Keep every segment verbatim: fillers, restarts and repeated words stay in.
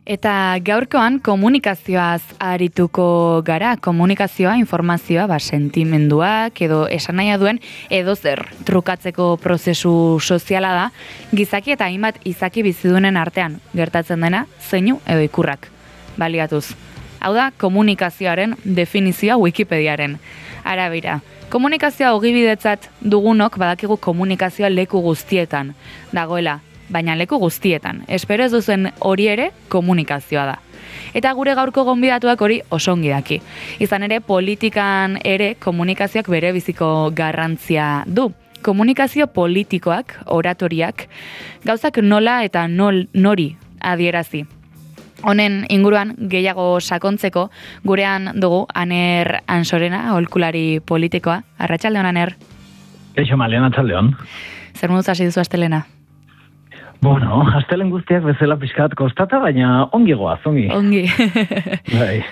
Eta gaurkoan komunikazioaz arituko gara, komunikazioa, informazioa, ba, sentimenduak edo esanahia duen edo zer trukatzeko prozesu soziala da, gizaki eta hainbat izaki bizidunen artean gertatzen dena, zeinu edo ikurrak baliatuz. Hau da, komunikazioaren definizioa Wikipediaren arabera. Komunikazioa ogibidetzat dugunok badakigu komunikazioa leku guztietan dagoela, baina leku guztietan. Espero ez duzen hori ere komunikazioa da. Eta gure gaurko gonbidatuak hori oso ongi daki. Izan ere, politikan ere komunikazioak bere biziko garrantzia du. Komunikazio politikoak, oratoriak, gauzak nola eta nol, nori adierazi. Honen inguruan gehiago sakontzeko gurean dugu Aner Ansorena, aholkulari politikoa. Arratsaldeon, Aner. Eixo malean, arratsaldeon. Zer moduz hasi duzu astelena? Bueno, astelen guztiak bezala pixkat kostata, baina ongi goaz, ongi. Ongi. Bai.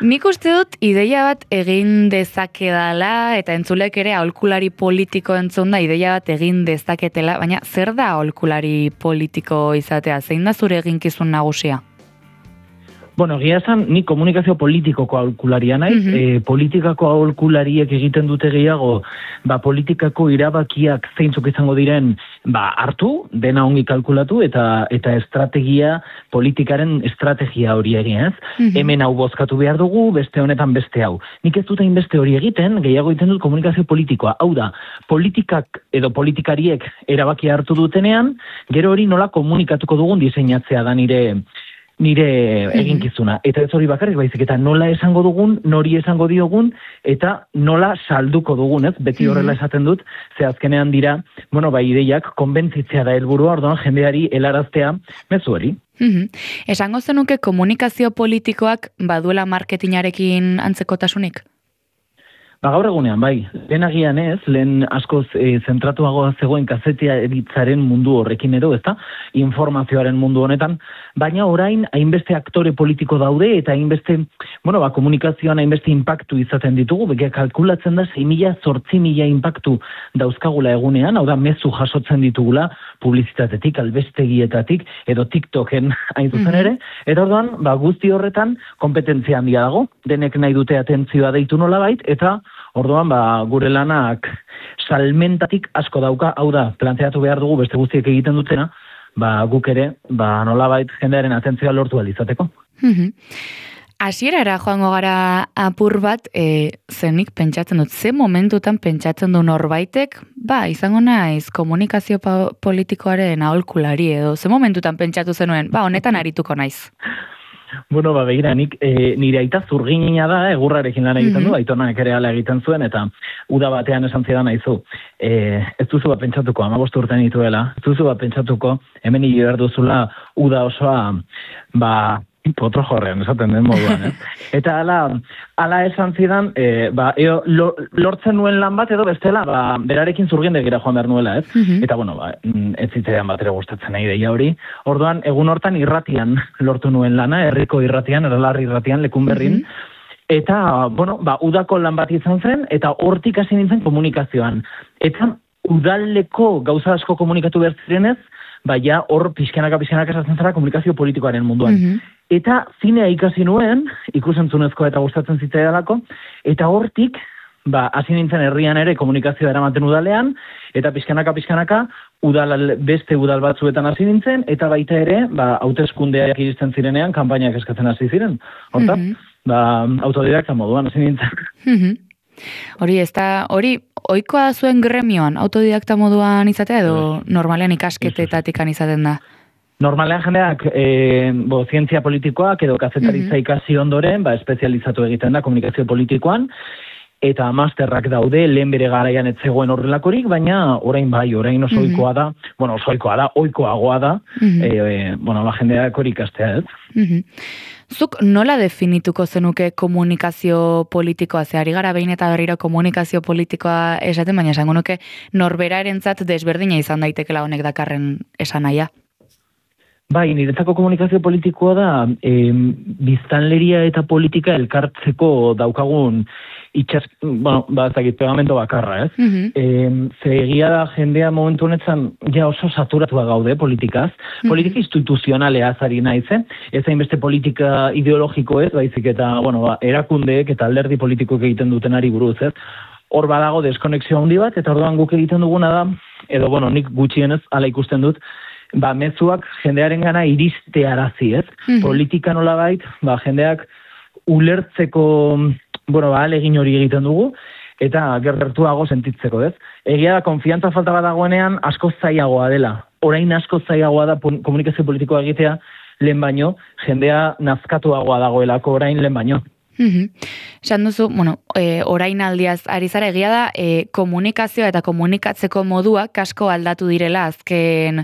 Nik uste dut ideia bat egin dezakedala, eta entzulek ere aholkulari politiko entzun da ideia bat egin dezaketela, baina zer da aholkulari politiko izatea? Zein da zure eginkizun nagusia? Bueno, egia esan, ni komunikazio politikoko aholkularia naiz, mm -hmm. e, politikako aholkulariek egiten dute gehiago, ba, politikako irabakiak zeintzuk izango diren, ba, hartu, dena ongi kalkulatu, eta eta estrategia, politikaren estrategia hori egin, ez? Mm -hmm. Hemen hau bozkatu behar dugu, beste honetan beste hau. Nik ez dut hainbeste hori egiten, gehiago egiten dut komunikazio politikoa. Hau da, politikak edo politikariek erabakia hartu dutenean, gero hori nola komunikatuko dugun diseinatzea da nire nire eginkizuna. Eta ez hori bakarrik baizik, eta nola esango dugun, nori esango diogun, eta nola salduko dugun, ez? Beti horrela esaten dut, ze azkenean dira, bueno, bai ideiak, konbentzitzea da helburua, orduan jendeari helaraztea mezu hori. Esango zenuke komunikazio politikoak baduela marketingarekin antzekotasunik? Ba, gaur egunean, bai, lehen agian ez, lehen askoz e, zentratuagoa zegoen kazetea editzaren mundu horrekin edo, ezta, informazioaren mundu honetan, baina orain hainbeste aktore politiko daude eta hainbeste, bueno, ba, komunikazioan hainbeste impactu izaten ditugu, beke kalkulatzen da sei mila zortzi mila impactu dauzkagula egunean, hau da, mezu jasotzen ditugula, publizitatetik, albestegietatik, edo TikToken hain zuzen ere, eta orduan, ba, guzti horretan, kompetentzia handia dago, denek nahi dute atentzioa deitu nolabait, eta orduan, ba, gure lanak salmentatik asko dauka, hau da, planteatu behar dugu beste guztiek egiten dutena, ba, guk ere, ba, nolabait jendearen atentzioa lortu alizateko. Hasierara joango gara apur bat, e, zenik pentsatzen dut, ze momentutan pentsatzen du norbaitek, ba, izango naiz komunikazio politikoaren aholkulari edo, ze momentutan pentsatu zenuen, ba, honetan arituko naiz. Bueno, ba, begira, nik e, nire aita zurginina da, egurrarekin lan egiten du, aitonak ere ala egiten zuen, eta uda batean esan zidan aizu, e, ez duzu bat pentsatuko, hamabost urtean dituela, ez duzu bat pentsatuko, hemen hile behar duzula uda osoa, ba, potro jorrean, esaten den moduan, eh? Eta ala, ala esan zidan, e, ba, eo, lo, lortzen nuen lan bat edo bestela, ba, berarekin zurgindegira joan behar nuela, ez? Mm-hmm. Eta, bueno, ba, ez zitzean bat ere gustatzen nahi deia hori. Orduan, egun hortan irratian lortu nuen lana, herriko irratian, eralarri irratian, lekun berrin, mm-hmm. Eta, bueno, ba, udako lan bat izan zen, eta hortik hasi nintzen komunikazioan. Eta udaleko gauza asko komunikatu behar zirenez, baina hor pixkanaka pixkanaka esatzen zara komunikazio politikoaren munduan. Mm-hmm. Eta zinea ikasi nuen, ikusentzunezkoa eta gustatzen zitzaidalako, eta hortik, ba, hasi nintzen herrian ere komunikazioa eramaten udalean, eta pixkanaka pixkanaka udal, beste udal batzuetan hasi nintzen, eta baita ere, ba, hauteskundeak iristen zirenean, kanpainak eskatzen hasi ziren. Horta, mm-hmm. ba, autodidakta moduan hasi nintzen. Mm-hmm. Hori, ez da, hori, ohikoa zuen gremioan, autodidakta moduan izatea edo normalean ikasketetatik izaten da? Normalean jendeak, e, bo, zientzia politikoak edo kazetaritza mm-hmm. ikasi ondoren, ba, espezializatu egiten da komunikazio politikoan, eta masterrak daude, lehen bere garaian ez zegoen horrelakorik, baina orain bai, orain oso mm-hmm. ohikoa da, bueno, oso ohikoa da, ohikoagoa da, mm-hmm. e, e, bueno, ba, jendeak hori ikastea, ez? Mm-hmm. Zuk nola definituko zenuke komunikazio politikoa? Ze ari gara behin eta berriro komunikazio politikoa esaten, baina esango nuke norberarentzat desberdina izan daitekela honek dakarren esanahia. Bai, niretzako komunikazio politikoa da, e, biztanleria eta politika elkartzeko daukagun itxas, bueno, ba, ez dakit, pegamento bakarra, ez? Mhm. E, ze egia da jendea momentu honetan ja oso saturatua gaude politikaz, politika instituzionalea zari naiz, eh? Ez hainbeste politika ideologiko ez, baizik eta, bueno, ba, erakundeek eta alderdi politikoek egiten dutenari buruz, ez? Hor badago deskonexio handi bat, eta orduan guk egiten duguna da, edo, bueno, nik gutxienez ala ikusten dut, ba, mezuak jendearen gana iristearazi, ez? Mhm. Politika nolabait, ba, jendeak ulertzeko, bueno, ba, alegin hori egiten dugu, eta gertuago sentitzeko, ez? Egia da, konfiantza falta bat dagoenean, asko zailagoa dela. Orain asko zailagoa da komunikazio politikoa egitea lehen baino, jendea nazkatuagoa dagoelako orain lehen baino. Esan duzu, bueno, e, orain aldiaz ari zara egia da, e, komunikazioa eta komunikatzeko moduak asko aldatu direla azken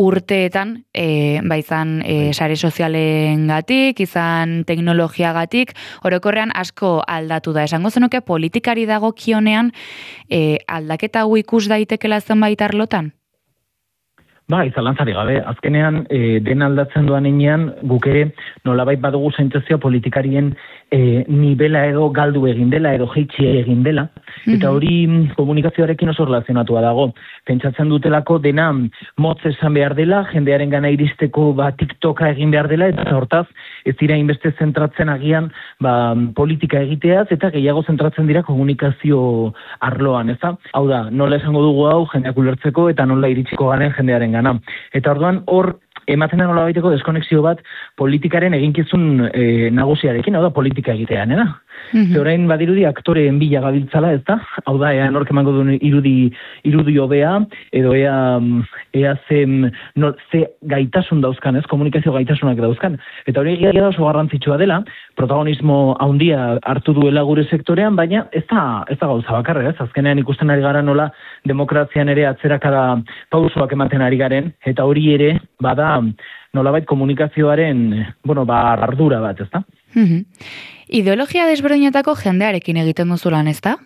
urteetan, e, ba izan e, sare sozialengatik, izan teknologiagatik, orokorrean asko aldatu da. Esango zenuke politikari dagokionean e, aldaketa hau ikus daitekela zenbait arlotan? Ba, izalantzari gabe, azkenean e, den aldatzen doan enean, guk ere nolabait badugu sentzazioa politikarien e, nivela edo galdu egin dela, edo jeitsi egin dela, eta hori komunikazioarekin oso relazionatua dago. Pentsatzen dutelako dena motz esan behar dela, jendearen gana iristeko ba, TikToka egin behar dela, eta hortaz ez dira inbeste zentratzen agian ba, politika egiteaz, eta gehiago zentratzen dira komunikazio arloan, ez da? Hau da, nola esango dugu hau jendeak ulertzeko, eta nola iritsiko garen jendearen gana. Eta orduan hor ematen da nola baiteko deskonexio bat politikaren eginkizun e, nagusiarekin, hau da politika egitean, eda? Mm-hmm. Orain badirudi aktoreen bila gabiltzala, ez da? Hau da, ea nork emango duen irudi, irudi hobea, edo ea, ea ze, no, ze gaitasun dauzkan, ez? Komunikazio gaitasunak dauzkan. Eta hori egia da oso garrantzitsua dela, protagonismo handia hartu duela gure sektorean, baina ez da, ez da gauza bakarra, ez? Azkenean ikusten ari gara nola demokrazian ere atzerakada pausoak ematen ari garen, eta hori ere bada nolabait komunikazioaren, bueno, ba, ardura bat, ez da? Mm-hmm. Ideologia desberdinetako jendearekin egiten duzu lan, ez da?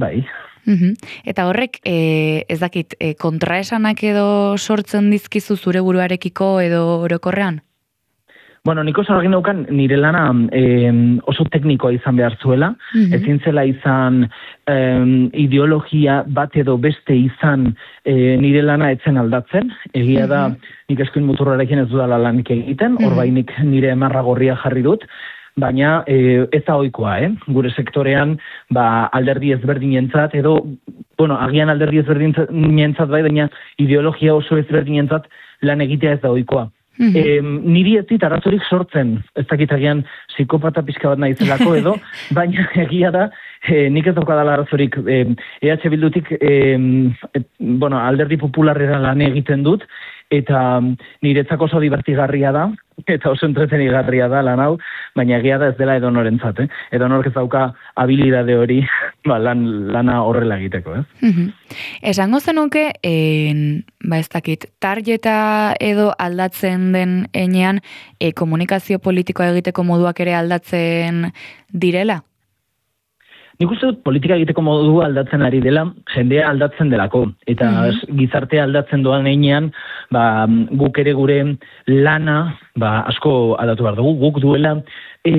Bai. Mm-hmm. Eta horrek, e, ez dakit, e, kontraesanak edo sortzen dizkizu zure buruarekiko edo orokorrean? Bueno, nik oso argin daukan nire lana eh, oso teknikoa izan behar zuela, mm-hmm. ezin zela izan eh, ideologia bat edo beste izan eh, nire lana etzen aldatzen, egia mm-hmm. da nik eskuin muturrarekin ez dudala lanik egiten, mm-hmm. orbainik nire emarra gorria jarri dut, baina eh, ez da ohikoa, eh? Gure sektorean ba, alderdi ezberdinentzat, edo, bueno, agian alderdi ezberdinentzat bai, baina ideologia oso ezberdinentzat lan egitea ez da ohikoa. Mm-hmm. E, niri ez dit arazorik sortzen, ez dakit agian psikopata pixka bat naizelako edo, baina egia da, e, nik ez daukadala arazorik e, E H Bildutik e, e, bueno, alderdi popularrera lan egiten dut, eta niretzako oso divertigarria da, eta oso entretenigarria da lan hau, baina egia da ez dela edonorentzat, eh? Edonork ez dauka habilidade hori ba, lan, lana horrela egiteko, eh? Mm-hmm. Esango zenuke, en, ba ez dakit, tarjeta edo aldatzen den enean, e, komunikazio politikoa egiteko moduak ere aldatzen direla? Nik uste dut politika egiteko modu aldatzen ari dela, jendea aldatzen delako. Eta mm-hmm. gizartea aldatzen doan einean, ba, guk ere gure lana ba, asko aldatu behar dugu. Guk duela e,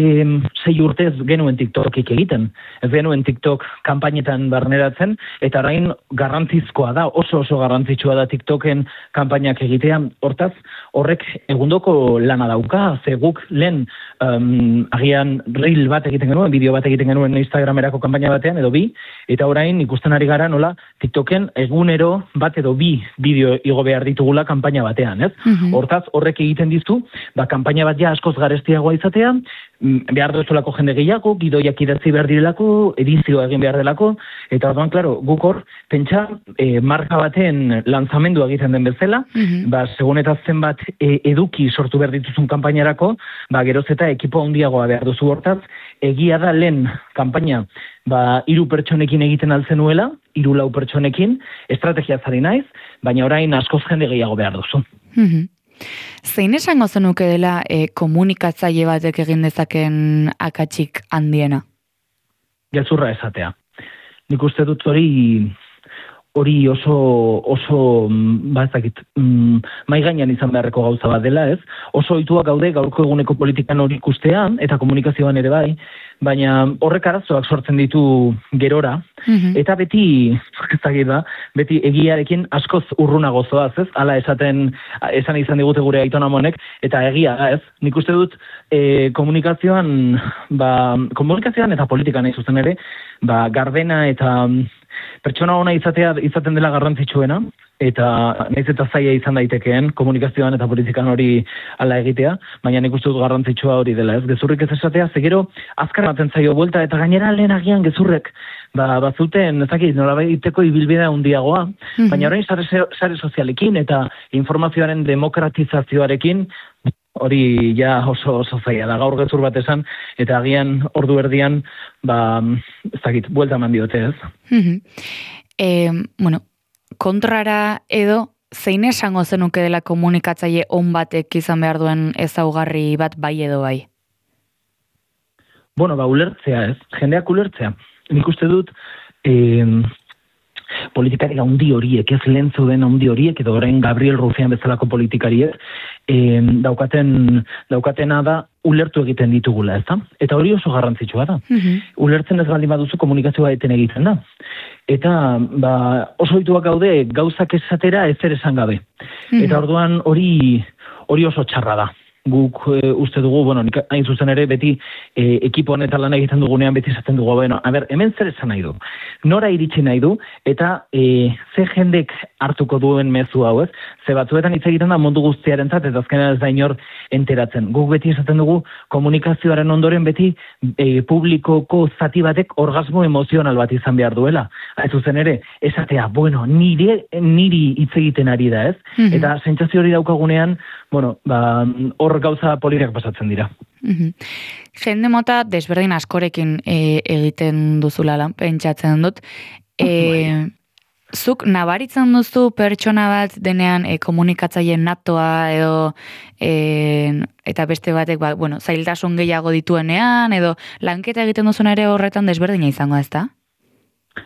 sei urtez genuen TikTokik egiten. Ez genuen TikTok kanpainetan barneratzen, eta orain garrantzizkoa da, oso oso garrantzitsua da TikToken kanpainak egitea. Hortaz, horrek egundoko lana dauka, ze guk lehen um, agian reel bat egiten genuen, bideo bat egiten genuen Instagramerako kanpaina batean, edo bi, eta orain ikusten ari gara nola TikToken egunero bat edo bi bideo igo behar ditugula kanpaina batean, ez? Mm-hmm. Hortaz, horrek egiten dizu, ba, kanpaina bat ja askoz garestiagoa izatea, behar duzulako jende gehiago, gidoiak idatzi behar direlako, edizioa egin behar delako, eta orduan, klaro, guk hor, pentsa, e, marka baten lanzamendua egiten den bezala, mm-hmm. ba, segun eta zenbat e, eduki sortu behar dituzun kanpainarako, ba, geroz eta ekipo handiagoa behar duzu hortaz, egia da lehen kanpaina, ba, hiru pertsonekin egiten alzenuela, hiru lau pertsonekin, estrategia zari naiz, baina orain askoz jende gehiago behar duzu. Mm-hmm. Zein esango zenuke dela e, komunikatzaile batek egin dezaken akatsik handiena? Gezurra esatea. Nik uste dut hori hori oso, oso, ba ez dakit, mm, mai gainean izan beharreko gauza bat dela, ez? Oso ohituak gaude gaurko eguneko politikan hori ikustean, eta komunikazioan ere bai, baina horrek arazoak sortzen ditu gerora, mm-hmm. eta beti, ez dakit da, beti egiarekin askoz urruna gozoaz, ez? Hala esaten, esan izan digute gure Aiton Amonek, eta egia, ez? Nik uste dut, e, komunikazioan, ba, komunikazioan eta politikan nahi zuzen ere, ba, gardena eta pertsona ona izatea izaten dela garrantzitsuena, eta nahiz eta zaila izan daitekeen komunikazioan eta politikan hori hala egitea, baina nik uste dut garrantzitsua hori dela, ez? Gezurrik ez esatea, zegero azkar ematen zaio buelta, eta gainera lehen agian gezurrek, ba, bazuten, ezakit, nolabaiteko ibilbidea handiagoa, mm-hmm. baina orain sare, sare sozialekin eta informazioaren demokratizazioarekin, hori ja oso oso zaila da, gaur gezur bat esan, eta agian ordu erdian, ba, ez dakit, buelta eman diote, ez? Mm-hmm. Eh, bueno, kontrara edo, zein esango zenuke dela komunikatzaile on batek izan behar duen ezaugarri bat bai edo bai? Bueno, ba, ulertzea, ez? Jendeak ulertzea. Nik uste dut, eh, politikari handi horiek, ez lehen zeuden handi horiek, edo orain Gabriel Rufián bezalako politikariek, eh, daukaten, daukatena da, ulertu egiten ditugula, ez da? Eta hori oso garrantzitsua da. Mm-hmm. Ulertzen ez baldin baduzu komunikazioa eten egiten da. Eta ba, oso ohituak gaude gauzak esatera ezer esan gabe. Mm-hmm. Eta orduan hori hori oso txarra da. Guk e, uste dugu, bueno, nik hain zuzen ere beti e, ekipo honetan lan egiten dugunean beti esaten dugu, bueno, a ber, hemen zer esan nahi du, nora iritsi nahi du, eta e, ze jendek hartuko duen mezu hau, ez? Ze batzuetan hitz egiten da mundu guztiarentzat, eta azkenean ez da inor enteratzen. Guk beti esaten dugu komunikazioaren ondoren beti e, publikoko zati batek orgasmo emozional bat izan behar duela. Ez zuzen ere, esatea, bueno, nire, niri hitz egiten ari da, ez? Mm-hmm. Eta sentsazio hori daukagunean, bueno, ba, hor gauza polirak pasatzen dira. Mm-hmm. Jende mota desberdin askorekin e, egiten duzulala, pentsatzen dut. E, zuk nabaritzen duzu pertsona bat denean e, komunikatzaile natoa edo e, eta beste batek ba, bueno, zailtasun gehiago dituenean edo lanketa egiten duzun ere horretan desberdina izango, ez da?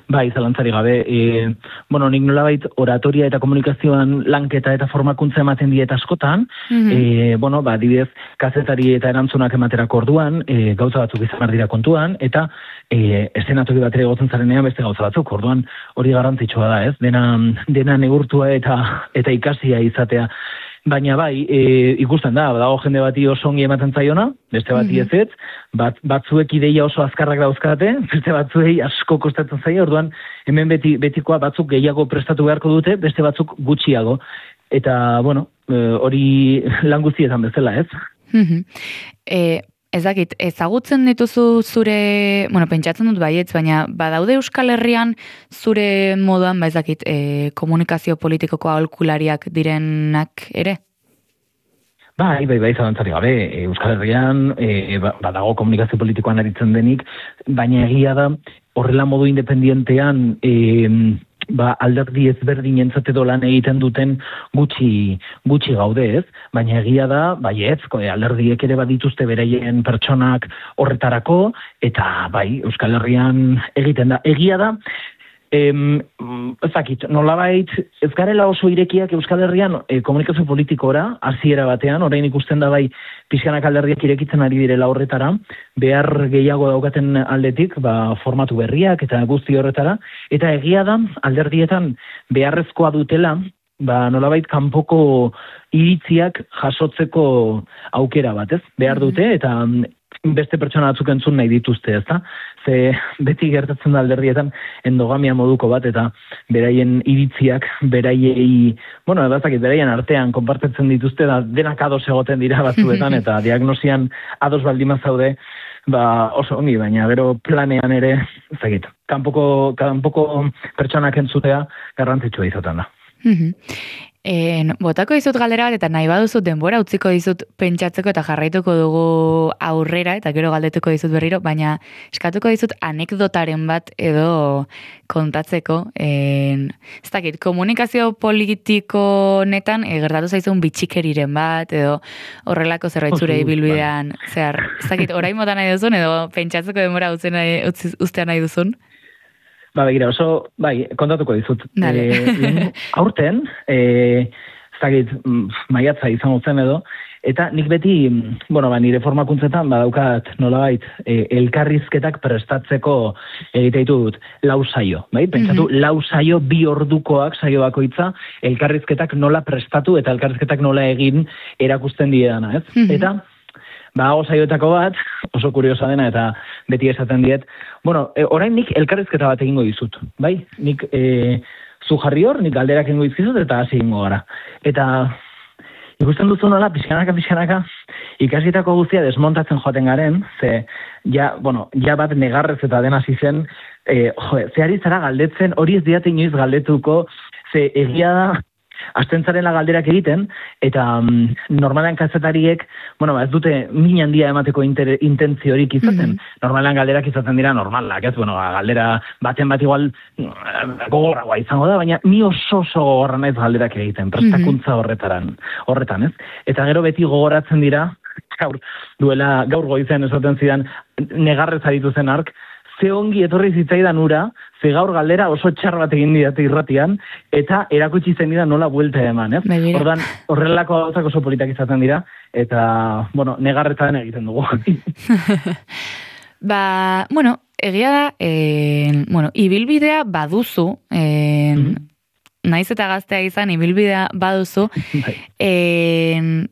Bai, zalantzari gabe. E, bueno, nik nolabait oratoria eta komunikazioan lanketa eta formakuntza ematen diet askotan, mm-hmm. e, bueno, ba, dibidez, kazetari eta erantzunak ematerako orduan, e, gauza batzuk izan behar dira kontuan, eta e, estenatoki batera egotzen zarenean beste gauza batzuk, orduan hori garrantzitsua da, ez? Dena, dena negurtua eta, eta ikasia izatea. Baina bai, e, ikusten da, dago jende bati oso ongi ematen zaiona, beste bati mm-hmm. ezetz, bat, batzuek ideia oso azkarrak dauzkate, beste batzuei asko kostatzen zaio, orduan hemen beti, betikoa batzuk gehiago prestatu beharko dute, beste batzuk gutxiago. Eta, bueno, hori lan guztietan bezala, ez? Mm-hmm. E, ez dakit, ezagutzen dituzu zure, bueno, pentsatzen dut baietz, baina badaude Euskal Herrian zure moduan, ba ez dakit, e, komunikazio politikoko aholkulariak direnak ere? Bai, bai, bai, zalantzari gabe, Euskal Herrian, e, badago komunikazio politikoan aritzen denik, baina egia da, horrela modu independientean, e, ba, alderdi ezberdin entzat edo lan egiten duten gutxi, gutxi gaude, ez? Baina egia da, bai ez, alderdiek ere badituzte beraien pertsonak horretarako, eta bai, Euskal Herrian egiten da. Egia da, Em, ezakit, nolabait, ez garela oso irekiak Euskal Herrian e, komunikazio politikora, hasiera batean, orain ikusten da bai pixkanak alderdiak irekitzen ari direla horretara, behar gehiago daukaten aldetik, ba, formatu berriak eta guzti horretara, eta egia da, alderdietan beharrezkoa dutela, ba, nolabait kanpoko iritziak jasotzeko aukera bat, ez? Behar dute, eta beste pertsona batzuk entzun nahi dituzte, ezta? Ze beti gertatzen da alderdietan endogamia moduko bat, eta beraien iritziak, beraiei, bueno, edazakit, beraien artean konpartetzen dituzte, da denak ados egoten dira batzuetan, eta diagnosian ados baldima zaude, ba, oso ongi, baina gero planean ere, ezagit, kanpoko, kanpoko pertsonak entzutea garrantzitsua izaten da. En, botako dizut galdera bat, eta nahi baduzut denbora utziko dizut pentsatzeko eta jarraituko dugu aurrera, eta gero galdetuko dizut berriro, baina eskatuko dizut anekdotaren bat edo kontatzeko. En, ez dakit, komunikazio politiko netan e, gertatu zaizun bitxikeriren bat, edo horrelako zerbait zure ibilbidean, zehar, ez dakit, orain motan nahi duzun, edo pentsatzeko denbora utzea nahi, uztea nahi duzun? Ba, begira, oso, bai, kontatuko dizut. Dale. E, aurten, e, zagit, maiatza izango zen edo, eta nik beti, bueno, ba, nire formakuntzetan, badaukat nolabait, e, elkarrizketak prestatzeko egiteitu dut, lau saio, bai? Pentsatu, mm-hmm. lau saio bi ordukoak saio bakoitza, elkarrizketak nola prestatu eta elkarrizketak nola egin erakusten diedana, ez? Mm-hmm. Eta, ba, hau saioetako bat, oso kuriosa dena, eta beti esaten diet, bueno, e, orain nik elkarrizketa bat egingo dizut, bai? Nik, e, zu jarri hor, nik galderak egingo dizkizut, eta hasi egingo gara. Eta, ikusten duzu nola, pixkanaka, pixkanaka, ikasitako guztia desmontatzen joaten garen, ze, ja, bueno, ja bat negarrez eta dena hasi zen, e, jo, ze ari zara galdetzen, hori ez diate inoiz galdetuko, ze egia da, astentzaren galderak egiten, eta um, normalean kazetariek, bueno, ez dute min handia emateko inter, intentziorik izaten. Mm-hmm. Normalean galderak izaten dira normalak, ez? Bueno, galdera baten bat igual gogorragoa izango da, baina ni oso oso gogorra naiz galderak egiten, prestakuntza horretaran, horretan, ez? Eta gero beti gogoratzen dira, gaur, duela, gaur goizean esaten zidan, negarrez aritu zen ark, ze ongi etorri zitzaidan ura, ze gaur galdera oso txar bat egin didate irratian, eta erakutsi zen dira nola buelta eman, ez? Ordan horrelako gauzak oso politak izaten dira, eta, bueno, negarretan egiten dugu. Ba, bueno, egia da, eh, bueno, ibilbidea baduzu, eh, mm-hmm. naiz eta gaztea izan, ibilbidea baduzu, eh,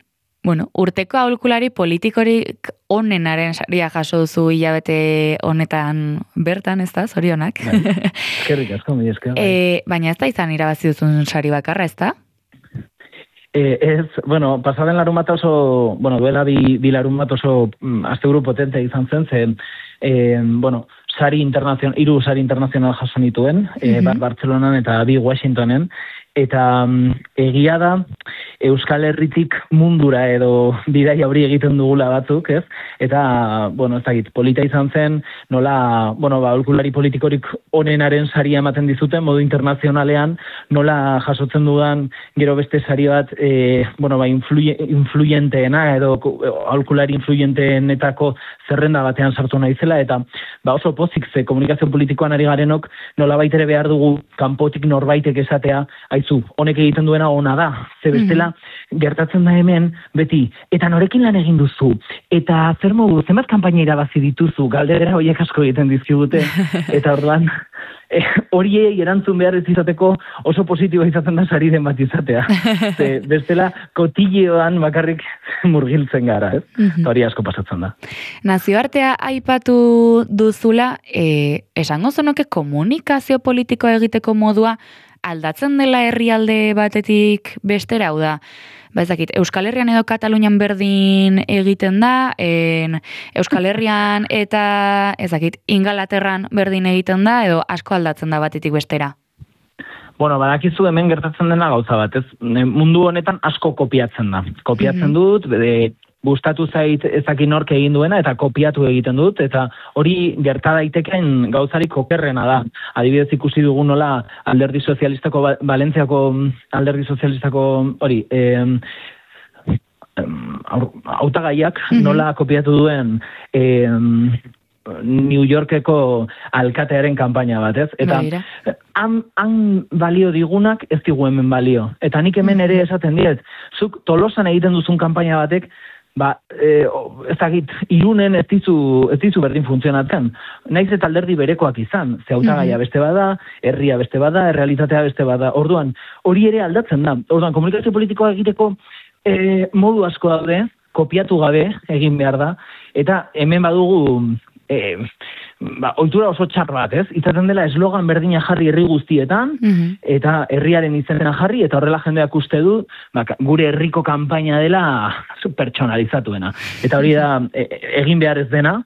bueno, urteko aholkulari politikorik onenaren saria jaso duzu hilabete honetan bertan, ez da, zorionak? Eskerrik asko, mi esker. E, baina ez da izan irabazi duzun sari bakarra, ez da? E, ez, bueno, pasaden larun bat oso, bueno, duela bi, bi larun bat oso mm, asteburu potente izan zen, zen, e, bueno, sari internazional, hiru sari internazional jaso nituen, mm-hmm. e, bat Bartzelonan eta bi Washingtonen, eta um, egia da Euskal Herritik mundura edo bidaia hori egiten dugula batzuk, ez? Eta, bueno, ez dakit, polita izan zen, nola, bueno, ba, aholkulari politikorik onenaren saria ematen dizuten, modu internazionalean, nola jasotzen dudan gero beste sari bat, e, bueno, ba, influye, influyenteena edo aholkulari influyenteenetako zerrenda batean sartu naizela, eta ba, oso pozik ze komunikazio politikoan ari garenok nola baitere behar dugu kanpotik norbaitek esatea, aizu, honek egiten duena ona da, ze bestela mm-hmm. gertatzen da hemen, beti, eta norekin lan egin duzu, eta zer modu, zenbat kanpaina irabazi dituzu, galdera horiek asko egiten dizkigute, eta orduan, eh, horiei erantzun behar ez izateko oso positiboa izaten da sari den bat izatea. Ze, bestela, kotilleoan bakarrik murgiltzen gara, ez? Mm-hmm. Hori asko pasatzen da. Nazioartea aipatu duzula, eh, esango zonoke komunikazio politikoa egiteko modua aldatzen dela herrialde batetik bestera, hau da, ba ezakit, Euskal Herrian edo Katalunian berdin egiten da, en, Euskal Herrian eta ezakit, Ingalaterran berdin egiten da, edo asko aldatzen da batetik bestera? Bueno, badakizu hemen gertatzen dena gauza bat, ez? Mundu honetan asko kopiatzen da. Kopiatzen mm-hmm. dut, bede, gustatu zait ezakin nork egin duena eta kopiatu egiten dut, eta hori gerta daiteken gauzarik okerrena da. Adibidez ikusi dugu nola alderdi sozialistako, Valentziako alderdi sozialistako hori, eh, hautagaiak mm-hmm. nola kopiatu duen eh, New Yorkeko alkatearen kanpaina bat, ez? Eta han, han balio digunak ez digu hemen balio. Eta nik hemen ere esaten diet, zuk Tolosan egiten duzun kanpaina batek, ba, e, ez dakit, Irunen ez dizu, ez dizu berdin funtzionatzen. Naiz eta alderdi berekoak izan, ze hautagaia beste bada, herria beste bada, errealitatea beste bada. Orduan, hori ere aldatzen da. Orduan, komunikazio politikoa egiteko e, modu asko daude, kopiatu gabe egin behar da, eta hemen badugu E, ba, ohitura oso txar bat, ez? Izaten dela eslogan berdina jarri herri guztietan, mm-hmm. eta herriaren izena jarri, eta horrela jendeak uste du, ba, gure herriko kanpaina dela pertsonalizatuena. Eta hori da, e, egin behar ez dena,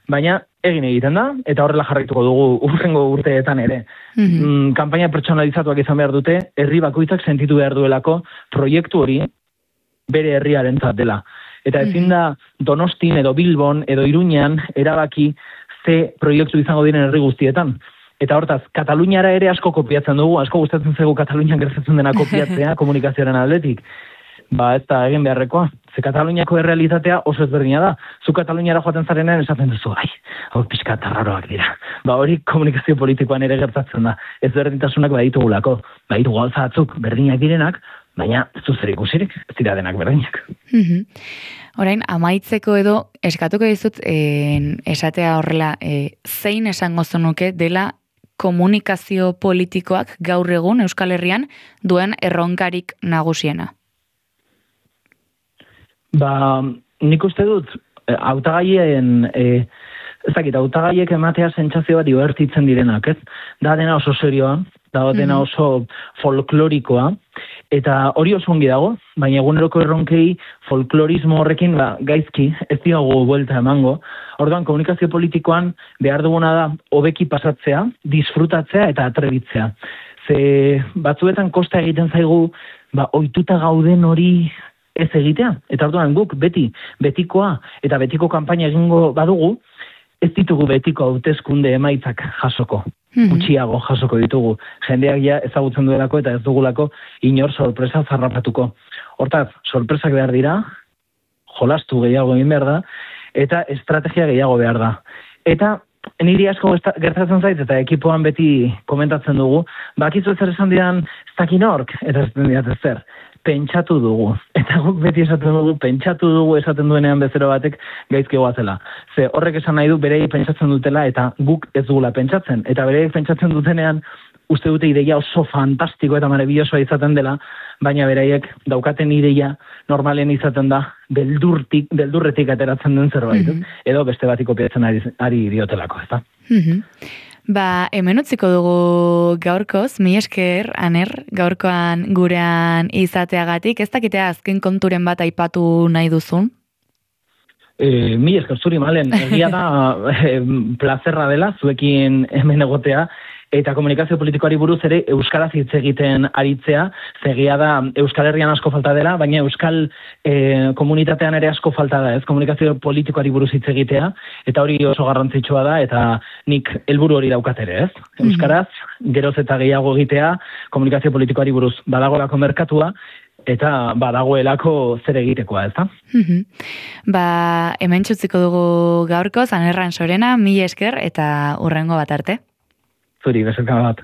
baina egin egiten da, eta horrela jarraituko dugu urrengo urteetan ere. Mm-hmm. Mm, kanpaina pertsonalizatuak izan behar dute, herri bakoitzak sentitu behar duelako proiektu hori bere herriarentzat dela. Eta ezin da Donostin edo Bilbon edo Iruñan erabaki ze proiektu izango diren herri guztietan. Eta hortaz, Kataluniara ere asko kopiatzen dugu, asko gustatzen zaigu Katalunian gertatzen dena kopiatzea komunikazioaren aldetik. ba ez da egin beharrekoa. Ze Kataluniako errealitatea oso ezberdina da. Zu Kataluniara joaten zarenean esaten duzu, ai, hau pixka tarraroak dira. Ba hori komunikazio politikoan ere gertatzen da. Ezberdintasunak baditugulako. Baditu gauza batzuk berdinak direnak, baina ez du zer ikusirik, ez dira denak berdinak. Mm-hmm. Orain, amaitzeko edo, eskatuko dizut, eh, esatea horrela, eh, zein esango zenuke dela komunikazio politikoak gaur egun Euskal Herrian duen erronkarik nagusiena? Ba, nik uste dut, hautagaien, e, ez dakit, hautagaiek ematea sentsazioa divertitzen direnak, ez? Da dena oso serioa, da dena oso folklorikoa, eta hori oso ongi dago, baina eguneroko erronkei folklorismo horrekin ba, gaizki, ez diogu buelta emango. Orduan, komunikazio politikoan behar duguna da hobeki pasatzea, disfrutatzea eta atrebitzea. Ze batzuetan kosta egiten zaigu, ba, ohituta gauden hori ez egitea. Eta orduan guk beti, betikoa eta betiko kanpaina egingo badugu, ez ditugu betiko hauteskunde emaitzak jasoko. Gutxiago jasoko ditugu. Jendeak ja ezagutzen duelako eta ez dugulako inor sorpresa zarrapatuko. Hortaz, sorpresak behar dira, jolastu gehiago egin behar da, eta estrategia gehiago behar da. Eta niri asko gertatzen zait, eta ekipoan beti komentatzen dugu, bakizu ezer esan didan ez dakin ork, eta ez diat ezer. Pentsatu dugu. Eta guk beti esaten dugu, pentsatu dugu esaten duenean bezero batek gaizki goazela. Ze horrek esan nahi du berei pentsatzen dutela eta guk ez dugula pentsatzen. Eta berei pentsatzen dutenean uste dute ideia oso fantastiko eta maravillosoa izaten dela, baina beraiek daukaten ideia normalen izaten da beldurtik, beldurretik ateratzen den zerbait. Mm-hmm. Edo beste bati kopiatzen ari, ari diotelako, ez da? Mm-hmm. Ba, hemen utziko dugu gaurkoz, mi esker, Aner, gaurkoan gurean izateagatik, ez dakitea azken konturen bat aipatu nahi duzun? E, mi esker zuri malen, egia da e, plazerra dela, zuekin hemen egotea, eta komunikazio politikoari buruz ere euskaraz hitz egiten aritzea, zegia da Euskal Herrian asko falta dela, baina euskal e, komunitatean ere asko falta da, ez komunikazio politikoari buruz hitz egitea, eta hori oso garrantzitsua da, eta nik helburu hori daukat ere, ez? Euskaraz, geroz eta gehiago egitea, komunikazio politikoari buruz badagolako merkatua, eta badagoelako zer egitekoa, ez da? Mm-hmm. Ba, hemen txutziko dugu gaurkoz, Anerran Sorena, mi esker, eta hurrengo bat arte. Zuri, bezalka bat.